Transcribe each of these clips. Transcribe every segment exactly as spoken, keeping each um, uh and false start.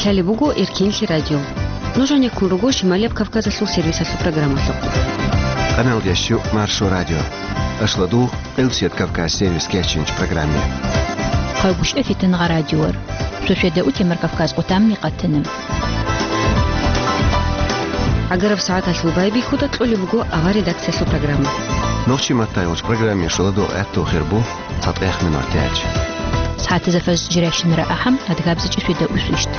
Лъалеб буго Эркинлъи радио. Нуж гьанеккун руго Шималияб Кавказалъул сервисалъул программалъухъ. Къаналдящу Маршо радио. Ашладу Къилсият Кавказ сервис кечинч программе. Хъагушев Фитангъа радиор. Шошеда утемар Кавказ къутамни къатана. Агараб сагӀаталъул байбихьуда кьолеб буго авар редакциялъул программа. Нохчи матайулч программе шуладу гӀатту хирбу. ЦатӀех минутач. СагӀатазда фажр жирайщинара ахӀам, адгабзичӀи шуйда усвищт.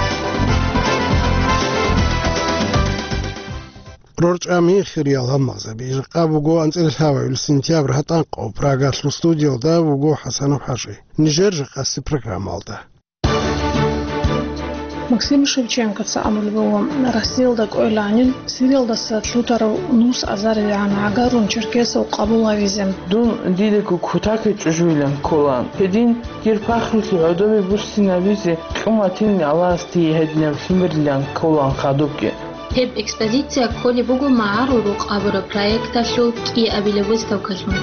РорчӀами хириял гьаммалзаби, жакъа буго анцӀила лъабабилеб сентябрь гьатӀанкъо, Прагалъул студиялда вуго ХӀасанов ХӀажи. Нижер жакъасеб программалда. Максим Шевченкоца абулеб буго, Россиялда кӀвеланин Сириялдаса лъутарав нус азарилгӀан гӀагарун черкесав къабул гьавизе. Дун дидаго кутакай чӀужуилан ккола. Гьедин, дир пахрулъе гӀодобе буссинабизе кьун ватинин Аллагьас дие гьединаб лъимерлъан кколаан хадубги. Гьеб экспозиция кколеб буго МагӀарул рукъ абураб проекталъул кӀиабилеб выставкалъун.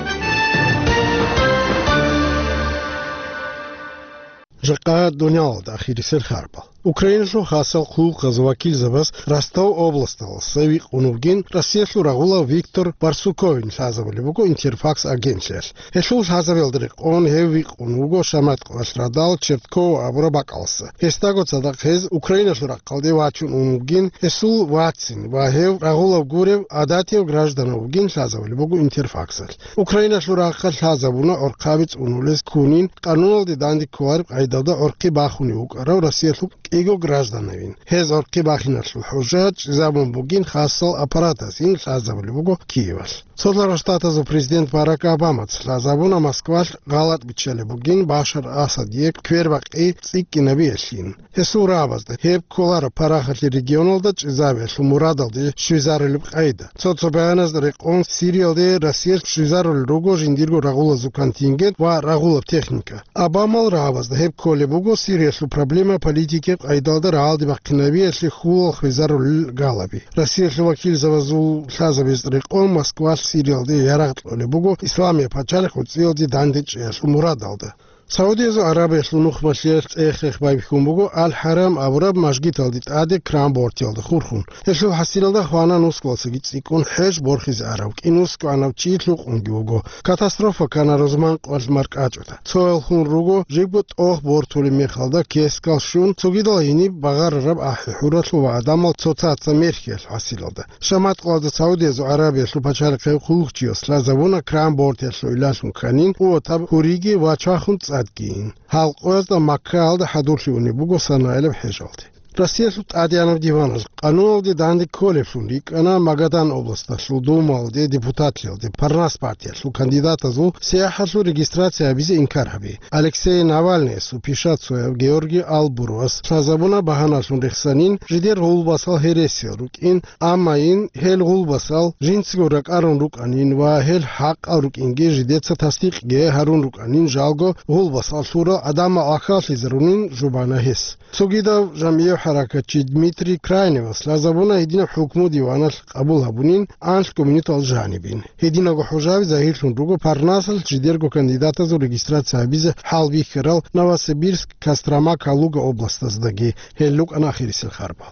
Жакъа дуниялалда ахирисел харбал. Украиналъул хасал хъулухъаз вакилзабаз Ростов областаласа вихъун вугин Россиялъул рагъулав Виктор Барсуковин лъазабулеб буго Интерфакс агентлъиялъ. Гьелъул лъазабиялда рекъон гьев вихъун вуго шаматкъвалъ радал Черткова абураб бакӀаласа. Гьесдаго цадахъ гьез Украиналъул рахъалде вачун ун вугин, гьесул вацин ва гьев рагъулаб гурев гӀадатияв гражданав вугин лъазабулеб буго Интерфаксалъ. Украиналъул рахъалъ лъазабуна гӀорхъаби цӀунулез ккунин, къануналде данде кколареб къайдалда гӀорхъи бахунев вукӀарав Россиялъул кӀиго гражданавин. Гьез гӀорхъи бахиналъул хӀужа чӀезабун бугин хасал аппаратасин лъазабулеб буго Киевалъ. Цолъарал Штатазул президент Барак Обамаца лъазабуна Москвалъ гъалатӀ биччалеб бугин Башар Асадие квербакъи цӀикӀкӀинабиялъин. Гьесул рагӀабазда гьеб кколаро парахалъе регионалда чӀезабиялъул мурадалде щвезарулеб къайда. Цо-цо баяназда рекъон Сириялде Россиялъ щвезарулел руго жиндирго рагъулазул контингент ва рагъулаб техника. Обамал рагӀабазда гьеб кколеб буго Сириялъул проблема политикияб къайдалда рагӀалде бахъинабиялъе хьулал хвезарулел галаби. Россиялъул вакилзабазул лъазабиялда рекъон Москвалъ Сириялде ярагъ кьолеб буго Исламияб пачалихъ гӀуцӀиялде дандечӀеялъул мурадалда. Саудиязул Арабиялъул нухмалъиялъ цӀех-хех байбихьун буго Ал-ХӀарам абураб мажгиталде тӀаде кран бортиялда хурхун. Гьелъул хӀасилалда хвана нусгуялсаги цӀикӀкӀун хӀеж борхизе арав кӀинусгӀанав чи лъукъунги вуго. Катастрофа ккана рузман къоялъ маркӀачӀуда. Цоял хун руго, жибго тӀох бортулеб мехалда кескал щун, цогидал гьениб багъарараб ахӀи-хӀуралъул ва гӀадамал цоцаца мерхьиялъ хӀасилалда. Шаматкъалда Саудиязул Арабиялъул пачалихъе хъулухъчияс лъазабуна кран бортиялъул илалъун кканин, къуватаб гьуриги ва чвахун цӀадгийин. Гьал къоязда Маккаялда хӀадурлъи унеб буго санаилаб хӀежалде. Россиялъул ТӀадегӀанаб диваналъ къануналде данде кколеблъун рикӀкӀана Магадан областалъул Думалде депутатлъиялде Парнас партиялъул кандидатазул сияхӀалъул регистрация гьабизе инкар гьаби. Алексей Навальныясул пишацояв Георгий Албуровас лъазабуна багьаналъун рехсанин жидер гъулбасал гьересиял рукӀин, амма ин гьел гъулбасал жинцаго ракӀарун рукӀанин ва гьел хӀакъал рукӀинги жидеца тасдикъги гьарун рукӀанин жалго гъулбасал лъурал гӀадамал ахӀаллъизарунин жубана гьес. Цогидав жамгӀияв хӀаракатчи Дмитрий Крайневас лъазабуна гьединаб хӀукму диваналъ къабул гьабунин анлъго минутал жанибин. Гьединаго хӀужаби загьирлъун руго Парнасалъ жидерго кандидатазул регистрация гьабизе хӀалбихьарал Новосибирск, Кострома, Калуга областаздаги. Гьел рукӀана ахирисел харбал.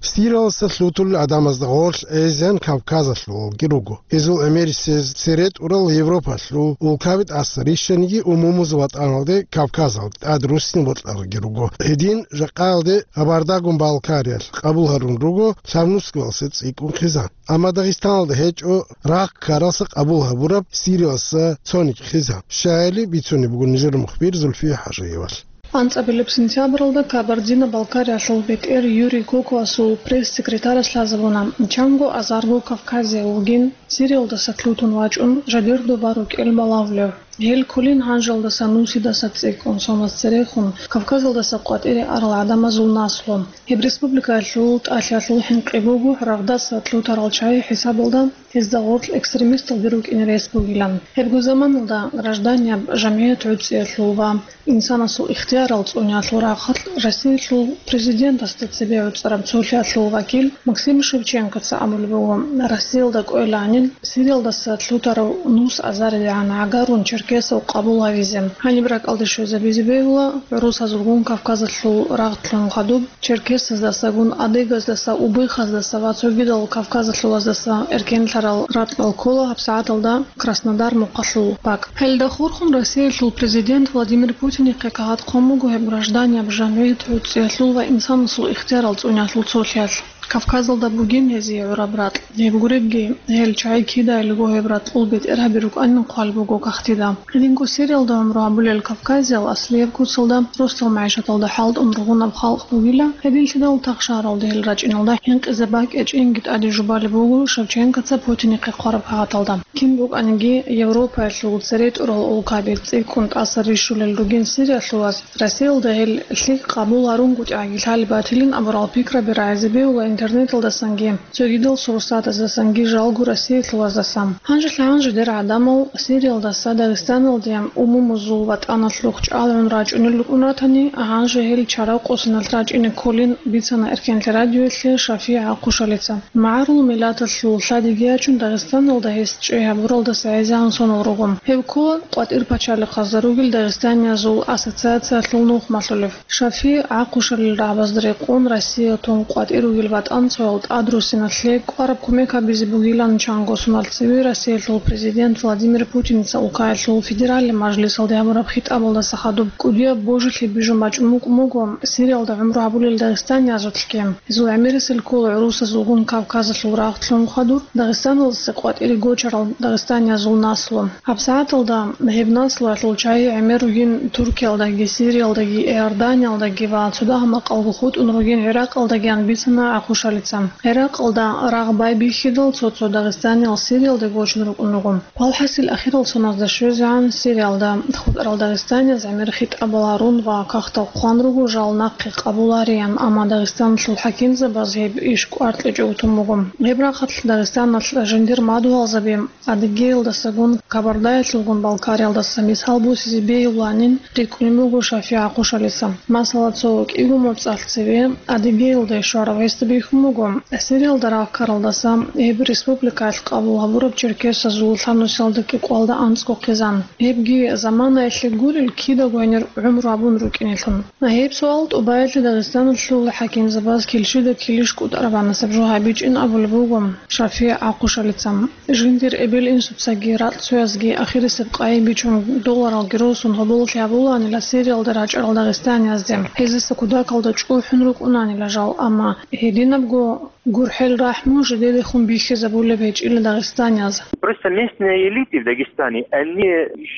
Сириялдаса лъутулел гӀадамазда гъорлъ гӀезегӀан Кавказалъулги руго. Гьезул гӀемерисез цере тӀурал Европалъул улкаби тӀаса рищаниги умумузул ватӀаналде Кавказалде тӀад руссин бокьаралги руго. Гьедин жакъаялде Габардагун Балкариялъ къабул гьарун руго, лъабнусгоялса цӀикӀкӀун хъизан. Амма Дагъистаналда гьечӀо рагъ ккаралса къабул гьабураб Сириялдаса цониги хъизан. Щайили бицунеб буго нижер мухбир Зульфия ХӀажиевалъ. АнцӀабилеб сентябралда Кабардино-Балкариялъул бетӀер Юрий Кокоасул пресс-секретарас лъазабуна, чанго азарго Кавказияв вугин, Сириялдаса лъутун вачӀун, жидер доба рукӀел балагьулев. Гьел кколин гьанжалдаса нусидаса цӀикӀкӀун сомас церехун Кавказалдаса къватӀире арал гӀадамазул наслу. Гьеб республикаялъул тӀалъиялъул хӀинкъи буго рагъдаса лъутарал чагӀи хӀисабалда гьезда гъорлъ экстремисталги рукӀине рес бугилан. Гьебго заманалда гражданияб жамгӀият гӀуцӀиялъул ва инсанасул ихтиярал цӀуниялъул рахъалъ Россиялъул президентасда цебе гӀуцӀараб цолъиялъул вакил Максим Шевченкоца абулеб буго, Россиялда кӀвеланин Сириялдаса лъутарав нус азарилегӀан гӀагарун черкесав къабул гьавизе. Гьаниб ракӀалде щвезабизе бегьула гӀурусазулгун Кавказалъул рагъ лъун хадуб, черкесаздасагун, адыгаздаса, убыхаздаса ва цогидал кавказалъулаздаса эркенлъарал ракьал ккола гьабсагӀаталда Краснодар мухъалъул бакӀ. Гьелда хурхун Россиялъул президент Владимир Путинихъе кагъат хъун буго гьеб гражданияб жамгӀият гӀуцӀиялъул ва инсанасул ихтиярал цӀуниялъул цолъиялъ. Кавказалда бугин гьезие гӀураб ракь. Гьеб гуребги, гьел чагӀи кидайилго гьеб ракьул бетӀергьаби рукӀанин хъван буго кагътида. Гьединго Сириялда гӀумру гьабулел кавказиял аслияб куцалда, росдал магӀишаталда хӀалтӀун ругьунаб халкъ бугила, гьединлъидал тахшаралда гьел рачӀиналда хӀинкъизе бакӀ гьечӀинги тӀаде жубалеб буго Шевченкоца Путинихъе хъвараб кагъаталда. Кин букӀаниги, Европаялъул цере тӀурал улкаби цӀикӀкӀун тӀаса рищулел ругин Сириялъулаз, Россиялда гьел лъикӀ къабул гьарунгутӀиги лъалеб батилин абурал пикраби рагӀизе бегьула интернеталдасанги, цогидал сурсатаздасанги, жалго Россиялъулаздасан. Гьанжелъ-гьанже дир гӀадамал Сириялдаса Дагъистаналде умумузул ватӀаналъухъ чӀалгӀун рачӀунел рукӀун ратани, гьанже гьел чарав къосиналъ рачӀине кколин бицана Эркенлъи радиоялъе ШафигӀ ГӀахъушалица. МагӀарул миллаталъул лъадиги ячун Дагъистаналда гьес чӀей гьабуралдаса гӀезегӀан сонал руго. Гьев ккола къватӀир пачалихъазда ругел дагъистаниязул ассоциациялъул нухмалъулев. ШафигӀ ГӀахъушалил рагӀабазда рекъон Россия тун къватӀир ругел ватӀанцоял тӀадрусиналъе кӀвараб кумек гьабизе бугилан чанго соналъ цеве Россиялъул президент Владимир Путинца улкаялъул федералли мажлисалде гьабураб хитӀабалдаса хадуб кӀудияб божилъи бижун бачӀун букӀун буго Сириялда гӀумру гьабулел дагъистаниязулъги. Гьезул гӀемерисел ккола гӀурусазулгун Кавказалъул рагъ лъун хадур, Дагъистаналдаса къватӀире гочарал дагъистаниязул наслу. ГьабсагӀаталда гьеб наслуялъул чагӀи гӀемер ругин Туркиялдаги, Сириялдаги, Иорданиялдаги ва цо дагьа макъалго хутӀун ругин ГӀиракъалдагиян бицана ГӀахъушалица. ГӀиракъалда рагъ байбихьидал цо-цо дагъистаниял Сириялда гочун рукӀун руго. Валхъасил ахирал соназда щвезегӀан Сириялда хутӀарал дагъистанияз гӀемер хитӀабал гьарун ва кагътал хъван руго жал нахъе къабул гьариян, амма Дагъистаналъул хӀакимзабаз гьеб иш кӀвар кьечӀого тун буго. Гьеб рахъалъ Дагъистаналъ жиндир мадугьалзаби Адыгеялдасагун, Кабардаялъулгун Балкариялдаса мисал босизе бегьуланин рикӀкӀунеб буго ШафигӀ ГӀахъушалица. Масала, цо кӀиго моцӀалъ цеве Адыгеялде щварав гьесда бихьун буго, Сириялда рагъ ккаралдаса гьеб республикаялъ къабул гьабураб черкесазул лъабнусиялда кӀикъоялда анцӀго хъизан. Гьебги заманаялъе гурел кидаго гьенир гӀумру гьабун рукӀинелъун. Гьеб суал тӀубаялъе Дагъистаналъул хӀакимзабаз килщида килищ кӀутӀарабанасеб жо гьабичӀин абулеб буго ШафигӀ ГӀахъушалица. Жиндир эбел-инсуцаги ракьцоязги ахирисеб къайи бичун долларалги росун гьоболлъи гьабулаанила Сириялда рачӀарал дагъистаниязде, гьезиса кудакалда чӀухӀун рукӀунаанила жал, амма гьединабго гурхӀел-рахӀму жидедехун бихьизабулеб гьечӀила дагъистанияз. Просто местные элиты в Дагестане, они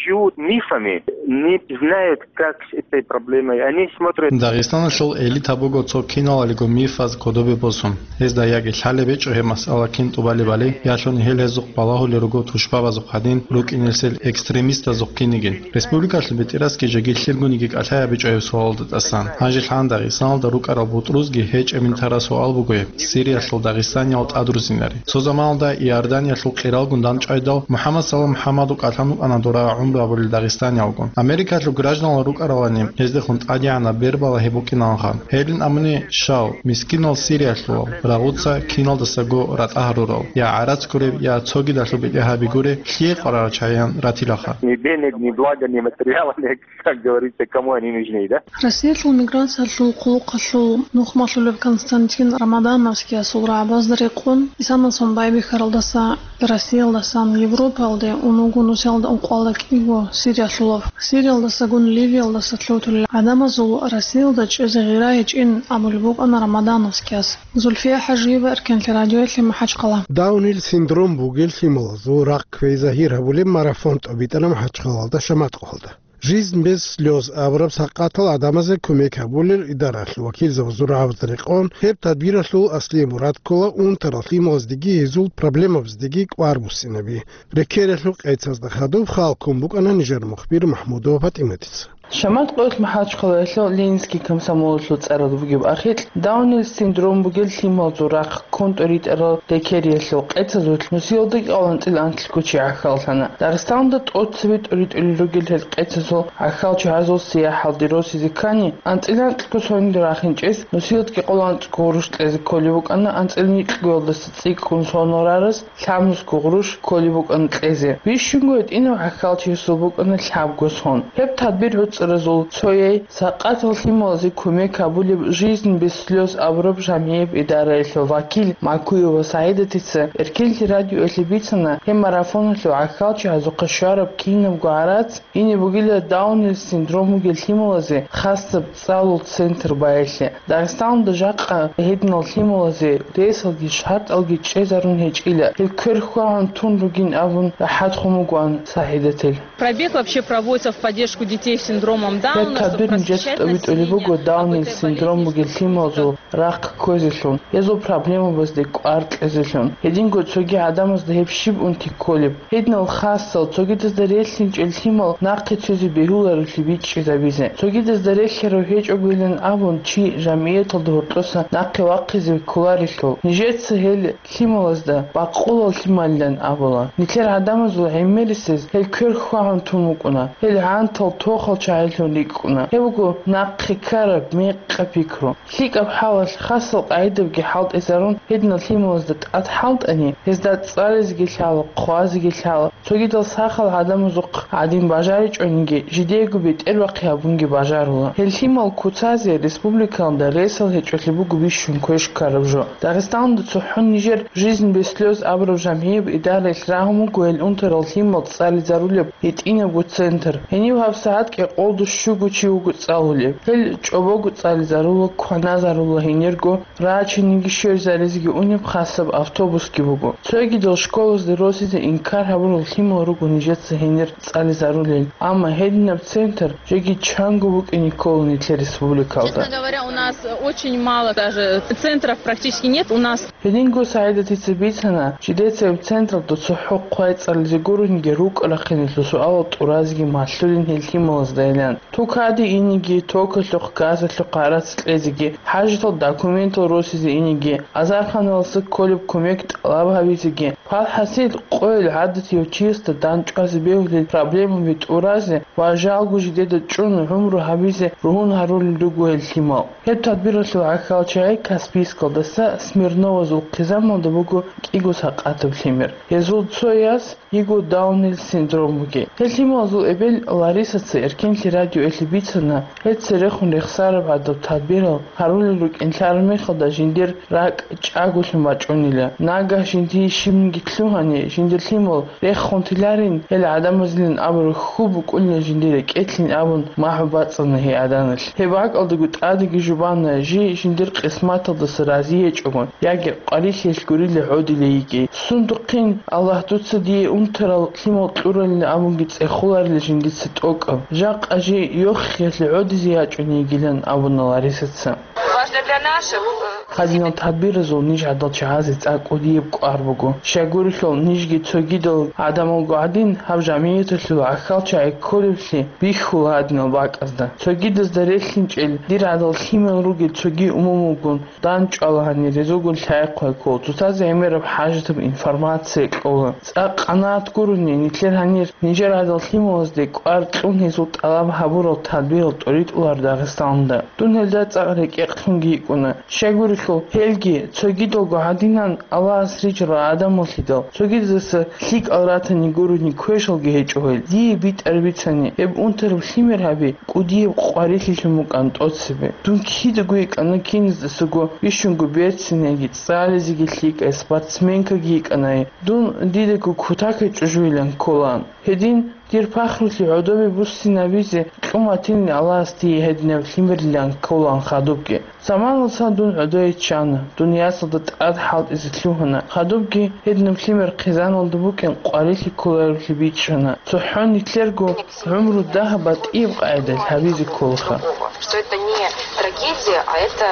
живут мифами, не знают, как с этой проблемой. Они смотрят. Дагъистаналъул элита буго цо киналалиго мифаз кодобе босун. Гьезда яги лъалеб гьечӀо гьеб масъала кин тӀубалебали, ялъуни гьел гьезухъ балагьулел руго тушбабазухъ гьадин рукӀинесел экстремистазухъ кинигин. Республикалъул бетӀерасги жеги лъилгуниги кӀалъай гьабичӀо гьеб суалалда тӀасан. Гьанже лъан Дагъистаналда рукӀарал бутӀрузги гьечӀебин тараб суал буго гьеб: Сириялъул дагъистаниял тӀадрузинари? Цо заманалда Иорданиялъул къиралгун дандчӀвайдал, МухӀаммад Салам МухӀаммадул кӀалъан вукӀана дора гӀумру гьабулел дагъистаниялгун. Америкалъул гражданал рукӀаралани, гьездехун тӀадегӀанаб бер балагьи букӀиналха. Гьелин абуни щал, мискинал сириялъулал, рагъуца киналдасаго ратӀа гьарурал, я гӀарац гуреб, я цогидалъул бетӀергьаби гуреб, лъие къварарал чагӀиян ратилаха. Ни денег, ни блага, ни материала, ни, как говорится, кому они нужны, да? Россиялъул миграциялъул хъулухъалъул нухмалъулев Константин Рамадановскиясул рагӀабазда рекъон, исанасон байбихьаралдаса Россиялдасан Европаялде ун вуго нусиялда ункъоялда кӀиго сириялъулав. Сириялдасагун Ливиялдаса лъутулел гӀадамазул Россиялда чӀезе гъира гьечӀин абулеб букӀана Рамадановскияс. Зульфия ХӀажиева, Эркенлъи радиоялъе, МахӀачхъала. Даунил синдром бугел лъималазул рахъ кквей загьир гьабулеб марафон тӀобитӀана МахӀачхъалалда шаматкъалда. «Жизнь без слёз» абураб сакъатал гӀадамазе кумек гьабулел идаралъул вакилзабазул рагӀабазда рекъон, гьеб тадбиралъул аслияб мурад ккола унтарал лъималаздеги гьезул проблемабаздеги кӀвар буссинаби. Рекералъул къецазда хадуб халкун букӀана нижер мухбир МахӀмудова ПатӀиматица. Шамат къоялъ МахӀачхъалаялъул Ленинский комсомолалъул цӀаралда бугеб ахикь, Даунил синдром бугел лъималазул рахъ ккун тӀоритӀарал рекериялъул къецазулъ нусиялда кӀикъоялда анцӀила анлъго чи гӀахьаллъана. Дагъистаналда тӀоцебе тӀоритӀулел ругел гьел къецазул гӀахьалчагӀазул сияхӀалде росизе ккани, анцӀила анлъго сонилда рахинчӀес нусиялда кӀикъоялда анцӀго гъурущ кьезе кколеб букӀана, анцӀила нилъгоялдаса цӀикӀкӀун сонал рарас лъабнусго гъурущ кколеб букӀана кьезе. Бищунго гьитӀинав гӀахьалчиясул букӀана лъабго сон. Гьеб тадбир гӀуцӀаразул цояй, сакъатал лъималазе кумек гьабулеб «Жизнь без слёз» абураб жамгӀияб идараялъул вакил Макуева СагӀидатица Эркенлъи радиоялъе бицана, гьеб марафоналъул гӀахьалчагӀазухъа щвараб кинабго гӀарац ине бугила Даунил синдром бугел лъималазе хасаб цӀалул центр баялъе. Дагъистаналда жакъа гьединал лъималазе ресалги шартӀалги чӀезарун гьечӀила, гьел квер хьвагьун тун ругин абун рахӀатхун вугоан СагӀидатил. Пробег вообще проводится в поддержку детей с синдромом Дауна, чтобы просвещать население об этой болезни. Гьеб тадбирун жеч тӀобитӀулеб буго Даунил синдром бугел лъималазул рахъ кквезелъун, гьезул проблемабазде кӀвар кьезелъун. Гьединго цоги гӀадамазда гьеб щиб унти кколеб? Гьединал хасал, цогидазда релълъинчӀел лъимал нахъе цозе бегьуларевлъи бичӀчӀизабизе. Цогидазда релълъарав гьечӀогойилан абун, чи жамгӀияталда гьоркьоса нахъе вахъизе кколарелъул, нижеца гьел лъималазда бакъулал лъималилан абула. Нилъер гӀадамазул гӀемерисез гьел квер хьвагьун тун вукӀуна. Гьел гӀантал тохал чагӀилъун рикӀкӀуна. Гьеб буго нахъе ккараб мекъаб пикру. ЛъикӀаб хӀалалъ хасал къагӀидабги хӀалтӀизарун, гьединал лъималазда тӀад хӀалтӀани, гьезда цӀализеги лъала, хъвазеги лъала, цогидал сахал гӀадамазухъ гӀадин бажаричӀониги, жидеего бетӀербахъи гьабунги бажарула. Гьел лъимал куцазе республикалда ресал гьечӀолъи буго бищун квеш ккараб жо. Дагъистаналда цохӀо нижер «Жизнь без слёз» абураб жамгӀияб идараялъ рагьун буго гьел унтарал лъимал цӀализарулеб гьитӀинабго центр. Гьенив гьабсагӀат кӀикъоялда щуго чи вуго цӀалулеб. Гьел чӀобого цӀализарула, кваназарула, гьенирго рачиниги щвезаризеги унеб хасаб автобусги буго. Цогидал школазде росизе инкар гьабурал лъимал руго нижеца гьенир цӀализарулел, амма гьединаб центр жеги чанго букӀине ккола нилъер республикалда. Честно говоря, у нас очень мало даже центров практически нет. У нас Гьединго СагӀидатица бицана, жидеца гьеб централда цохӀо хъвай цӀализе гурониги рукӀа-рахъиналъул суалал тӀуразеги малъулин гьел лъималаздайилан. Тукаде инеги, токалъухъ, газалъухъ гӀарац кьезеги, хӀажатал документал росизе инеги, азарханалдаса кколеб кумек тӀалаб гьабизеги, палхӀасил къойил гӀадатияв чиясда дандчӀвазе бегьулел проблемаби тӀуразе ва жалго жидеда чӀун гӀумру гьабизе ругьун гьарулел руго гьел лъимал. Гьеб тадбиралъул гӀахьалчагӀи Каспийскалдаса Смирновазул хъизамалда буго кӀиго сакъатаб лъимер. Гьезул цояс йиго Даунил синдром бугеб. Гьел лъималазул эбел Ларисаца Эркенлъи радиоялъе бицана, гьел церехун рехсараб гӀадаб тадбирал гьарулел рукӀин лъараб мехалда жиндир ракӀ чӀаголъун бачӀунила. Нагагь жиндие щибниги лъугьани, жиндир лъимал рехун тиларин, гьел гӀадамазилан абураб хьул букӀунила жиндир рекӀелъин абун, махӀ бацӀцӀана гьей гӀаданалъ. Гьеб бакӀалдаго тӀадеги жубана, жий жиндир къисматалдаса разиечӀогон, яги къварилъиялъ гурила гӀодилей йигей. Сундухъин, Аллагь, дуца дие унтарал лъимал кьуралин абунги цӀехоларила жиндица тӀокӀаб. Жакъа жий йохиялъе гӀодизе ячӀун йигилан абуна Ларисаца. Важно для наших, э, Гьадинал тадбиразул ниж гӀадал чагӀазе цӀакъ кӀудияб кӀвар буго. Щайгурелъул нижги цогидал гӀадамалго гӀадин, гьаб жамигӀяталъул гӀахьалчагӀи кколеблъи бихьула гьадинал бакӀазда. Цогидазда релълъинчӀел дир гӀадал лъимал ругел цоги умумулгун дандчӀвала гьанир, гьезулгун лъай-хъвай ккола, цоцазе гӀемераб хӀажатаб информация кьола. ЦӀакъ къанагӀат гурони, нилъер гьанир нижер гӀадал лъималазде кӀвар кьун гьезул тӀалаб гьабурал тадбирал тӀоритӀулар Дагъистаналда. Дун гьелда цӀакъ рекӀекълъунги йикӀуна. Щайгурелъул, гьелги, цогидалго гьадинан Аллагьас рижарал гӀадамаллъидал, цогидаса лъикӀал ратани гурони квешалги гьечӀо гьел. Дие битӀар бицани, гьеб унтараб лъимер гьаби кӀудияб къварилъилъун букӀан тӀоцебе. Дун кидаго йикӀана киназдасаго, бищунго берцинайги, цӀализеги лъикӀай спортсменкаги йикӀанай. Дун дидаго кутакай чӀужуйилан кколаан. Гьедин, дир пахрулъе гӀодобе буссинабизе кьун батилин Аллагьас дие гьединаб лъимерлъан кколаан хадубги. Заманалдасан дун гӀодое чӀана, дун ясалда тӀад хӀалтӀизе лъугьана. Хадубги гьединаб лъимер хъизаналда букӀин къварилъи кколареблъи бичӀчӀана. ЦохӀо нилъерго гӀумру дагьаб батӀияб къагӀидалъ гьабизе кколаха. Что это не трагедия, а это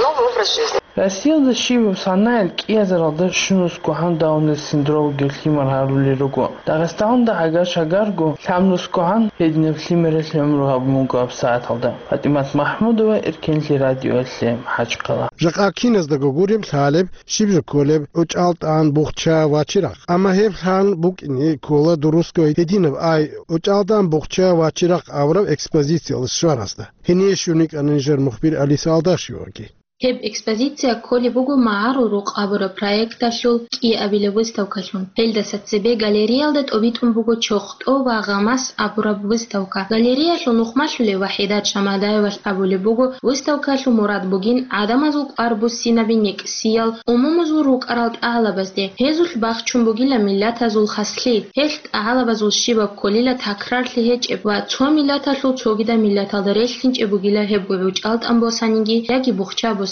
новый образ жизни. Россиялда щибаб санаялъ кӀиазаралда щунусгогӀан Даунил синдром вугев лъимер гьарулел руго. Дагъистаналда гӀагар-шагарго лъабнусгогӀан гьединаб лъимералъ гӀумру гьабун буго гьабсагӀаталда. ПатӀимат МахӀмудова, Эркенлъи радиоялъе, МахӀачхъала. Жакъа киназдаго гуреб лъалеб, щиб жо кколеб гӀучӀалтӀан, бухча ва чирахъ. Амма гьеб лъан букӀине ккола дурусго гьединаб ай, гӀучӀалтӀан, бухча ва чирахъ абураб экспозициялда щваразда. Гьение щун йикӀана нижер мухбир Алиса Алдашеваги. Гьеб экспозиция кколеб буго МагӀарул рукъ абураб проекталъул кӀиабилеб выставкалъун. Гьелдаса цебе галереялда тӀобитӀун буго ЧохтӀо ва Гъамас абураб выставка. Галереялъул нухмалъулев Вахидат Шамадаевалъ абулеб буго, выставкалъул мурад бугин гӀадамазул кӀвар буссинаби некӀсиял, умумузул рукӀарал тӀагӀалабазде. Гьезулъ бахчун бугила миллатазул хаслъи. Гьелъ тӀагӀалабазул щибаб кколила такрарлъи гьечӀеб ва цо миллаталъул цогидаб миллаталда релълъинчӀеб бугила гьебго гӀучӀалтӀан босаниги яги бухча босаниги.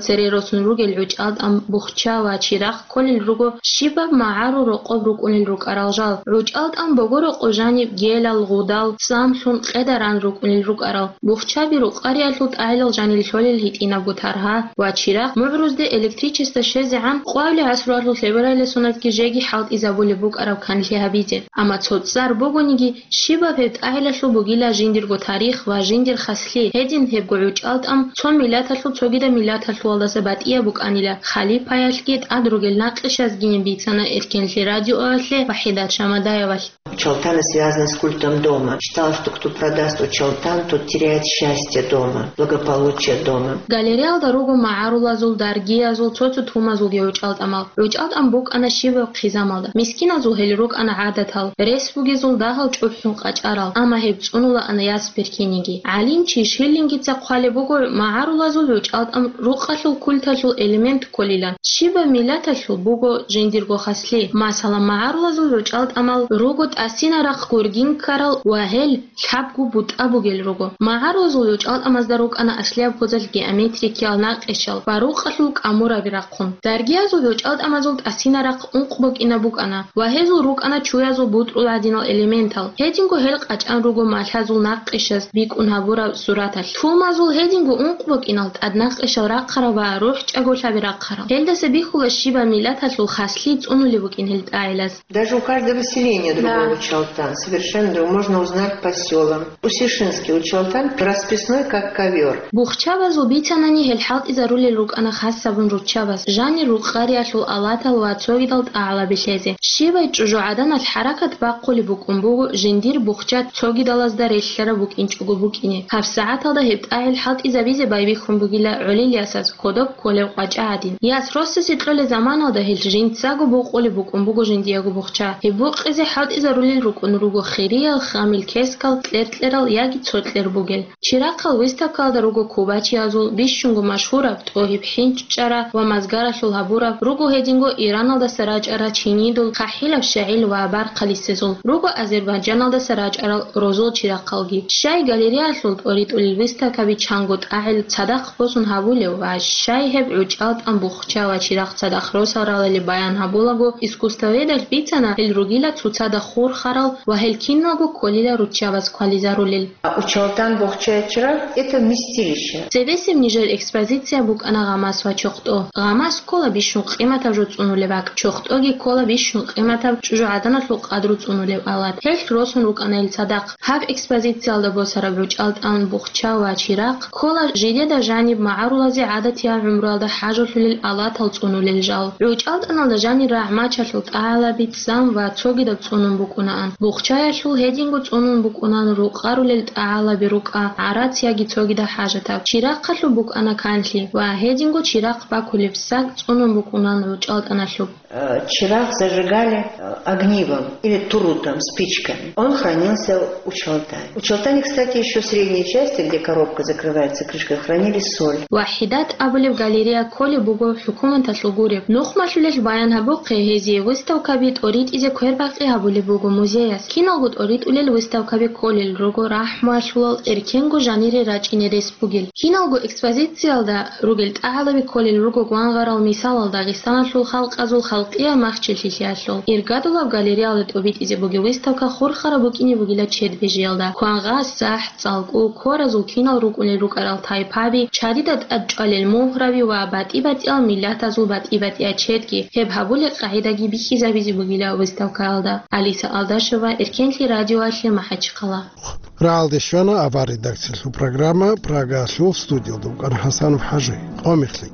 Цере росун ругел гӀучӀалтӀан, бухча ва чирахъ кколел руго щибаб магӀарул рокъоб рукӀунел рукӀарал жал. ГӀучӀалтӀан буго рокъоб жаниб гелал, гъудал, цӀамлъун, къедаран рукӀунел рукӀарал. Бухчаби рукъариялъул тӀагӀилал жанир лъолел гьитӀинабго таргьа ва чирахъ, мугӀрузде электричество щвезегӀан къвалеб гӀасруялъул лъебералдасунабги жеги хӀалтӀизабулеб букӀараб канлъи гьабизе. Амма цо цӀар бугониги, щибаб гьеб тӀагӀилалъул бугила жиндирго тарих ва жиндир хаслъи. Гьедин гьебго гӀучӀалтӀан цо миллаталъул цогидаб миллаталъулалдаса батӀияб букӀанила, халипаялъги тӀад ругел накъишазгиин бицана Эркенлъи радиоялъе Вахидат Шамадаевалъ. Учалтана связана с культом дома. Считалось, что кто продаст учалтан, тот теряет счастье дома, благополучие дома. Галереялда руго магӀарулазул, даргиязул, цо-цо тумазулги гӀучӀалтӀамал. ГӀучӀалтӀан букӀана щибаб хъизамалда. Мискиназул гьел рукӀана гӀадатал, рес бугезул дагьал чӀухӀун къачӀарал, амма гьеб цӀунулаан яс беркениги. ГӀалимчи Шиллингица хъвалеб буго, магӀарулазул гӀучӀалтӀан рукъалъул культалъул элемент кколилан. Щибаб миллаталъул буго жиндирго хаслъи. Масала, магӀарулазул гӀучӀалтӀамал руго тӀасинарахъ гургин ккарал ва гьел лъабго бутӀа бугел руго. МагӀарулазул гӀучӀалтӀамазда рукӀана аслияб гозал геометрикиял накъишал ва рукъалъул кӀамураби рахъун. Даргиязул гӀучӀалтӀамазул тӀасинарахъ ункъ бокӀинаб букӀана ва гьезул рукӀана чуязул бутӀрул гӀадинал элементал. Гьединго гьел къачӀан руго малъазул накъишаз бикӀун гьабураб сураталъ. Тумазул гьединго ункъ бокӀинал тӀаднакъишал рахъарал ва рухӀчӀаголъаби рахъарал. Гьелдаса бихьула щибаб миллаталъул хаслъи цӀунулеб букӀин гьел тӀагӀилаз. Даже у каждого селения другой, да, учалтан, совершенно другой. Можно узнать по сёлам. Усишинский учалтан расписной, как ковёр. Бухчабазул бицанани гьел хӀалтӀизарулел рукӀана хасабун руччабаз, жанир рукъариялъул алатал ва цогидал тӀагӀалаби лъезе. Щибай чӀужугӀаданалъ хӀаракат бахъулеб букӀун буго жиндир бухча цогидалазда релълъараб букӀинчӀого букӀине. ГьабсагӀаталда гьеб тӀагӀил хӀалтӀизабизе байбихьун бугила гӀолил ясаз кодоб кколеб къвача гӀадин. Яс росасе кьолеб заманалда гьел жинцаго букъулеб букӀун буго жиндиего бухча. Гьеб букъизе хӀалтӀизарулел рукӀун руго хириял, хамил кескал, кьер-кьерал яги цо кьер бугел. Чирахъал выставкалда руго кубачиязул, бищунго машгьураб ТӀогьиб ХӀинчӀчӀара ва Мазгаралъул гьабураб, руго гьединго Ираналдаса рачӀарал чинидул, хъахӀилаб щагӀил ва бархъалисезул, руго Азербайджаналдаса рачӀарал розул чирахъалги. Щай галереялъул тӀоритӀулел выставкаби чанго тӀагӀил цадахъ босун гьабулев ва щай гьеб гӀучӀалтӀан бухча ва чирахъ цадахъ росал ралали баян гьабулаго, искусствоведалъ бицана гьел ругила цоцазда хурхарал ва гьел киналго кколила руччабаз квализарулел. А учалтан, бухча, чирахъ — это вместилище. Цебесеб нижер экспозиция букӀана Гъамас ва ЧохтӀо. Гъамас ккола бищун къиматаб жо цӀунулеб бакӀ, ЧохтӀоги ккола бищун къиматаб чӀужугӀаданалъул къадру цӀунулеб алат. Гьелъ росун рукӀана гьел цадахъ. Гьаб экспозициялда босараб гӀучӀалтӀан, бухча ва чирахъ ккола жидеда жаниб магӀарулазе гӀадатиял гӀумруялда хӀажалъулел алатал цӀунулел жал. ГӀучӀалтӀаналда жанир рагӀмачалъул тӀагӀалаби, цӀам ва цогидаб цӀунун букӀунаан. Бухчаялъул гьединго цӀунун букӀунаан рукъарулел тӀагӀалаби рукӀа, гӀарац яги цогидаб хӀажатаб. Чирахъалъуб букӀана канлъи ва гьединго чирахъ бакулеб саг цӀунун букӀунаан гӀучӀалтӀаналъуб. Э, чирахъ зажигали, э, огнивом или турутом, спичками. Он хранился у Чалтани. У Чалтани, кстати, ещё в средней части, где коробка закрывается крышкой, хранили соль. Вахидат абулеб галерея кколеб буго хӀукуматалъул гуреб. Нухмалъулел баян гьабухъе, гьезие выставкаби тӀоритӀизе квербакъи гьабулеб буго музеяс. Киналго тӀоритӀулел выставкаби кколел руго рахӀмуялъулал эркенго жанире рачӀине рес бугел. Киналго экспозициялда ругел тӀагӀалаби кколел руго гвангъарал мисалал Дагъистаналъул халкъазул халкъиял махчиллъиялъул. Иргадулаб галереялда тӀобитӀизе бугеб выставка хурхараб букӀине бугила чед бижиялда. Квангъа, сахӀ, цӀалкӀу, кваразул кинал рукӀунел рукӀарал тайпаби, чадида чӀвалел мугьраби ва батӀи-батӀиял миллатазул батӀи-батӀиячедги, гьеб гьабулел къагӀидаги бихьизабизе бугила выставкаялда. Алиса Алдашева, Эркенлъи радиоялъе, МахӀачхъала. Рагьалде щвана авар редакциялъул программа, Прагаялъул студиялда вукӀана ХӀасанов ХӀажи. Къо мехлъи.